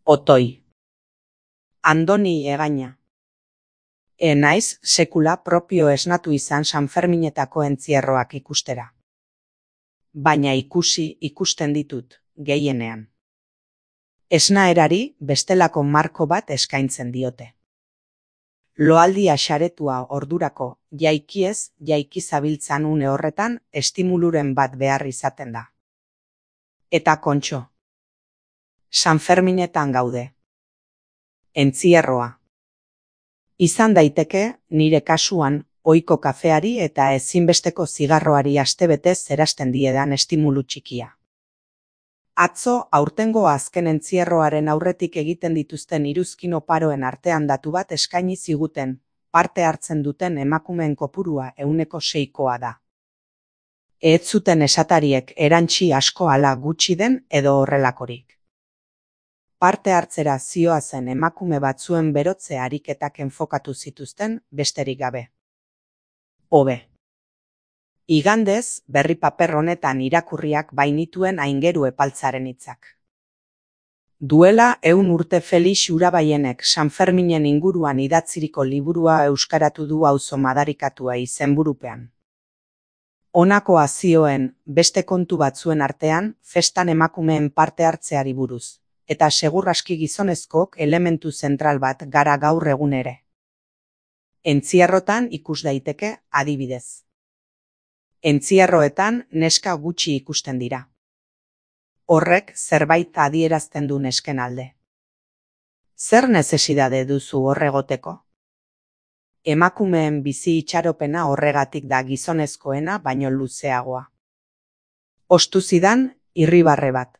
Otoi. Andoni Egaña. Naiz sekula propio esnatu izan Sanferminetako entzierroak ikustera. Baina ikusten ditut, gehienean. Esnaerari bestelako marko bat eskaintzen diote. Loaldia xaretua ordurako jaiki zabiltzan une horretan estimuluren bat behar izaten da. Eta kontxo. Sanferminetan gaude. Entzierroa. Izan daiteke, nire kasuan, ohiko kafeari eta ezinbesteko zigarroari astebetez zerasten diedan estimulu txikia. Atzo aurtengo azken entzierroaren aurretik egiten dituzten iruzkin oparoen artean datu bat eskaini ziguten, parte hartzen duten emakumeen kopurua 6%koa da. Ez zuten esatariek erantsi asko ala gutxi den edo horrelakorik. Parte hartzera zihoazen emakume batzuen berotze ariketak enfokatu zituzten besterik gabe. Hobe. Igandez, berri paper honetan irakurriak bainituen Aingeru Epaltzaren hitzak. Duela 100 urte Felix Urabaienek Sanferminen inguruan idatziriko liburua euskaratu du auzo madarikatua izenburupean. Honakoa zioen beste kontu batzuen artean festan emakumeen parte hartzeari buruz. Eta segur aski gizonezkok elementu zentral bat gara gaur egun ere. Entzierrotan ikus daiteke adibidez. Entzierroetan neska gutxi ikusten dira. Horrek zerbait adierazten du nesken alde. Zer nezesidade duzu horregoteko? Emakumeen bizi itxaropena horregatik da gizonezkoena baino luzeagoa. Ostu zidan irribarre bat.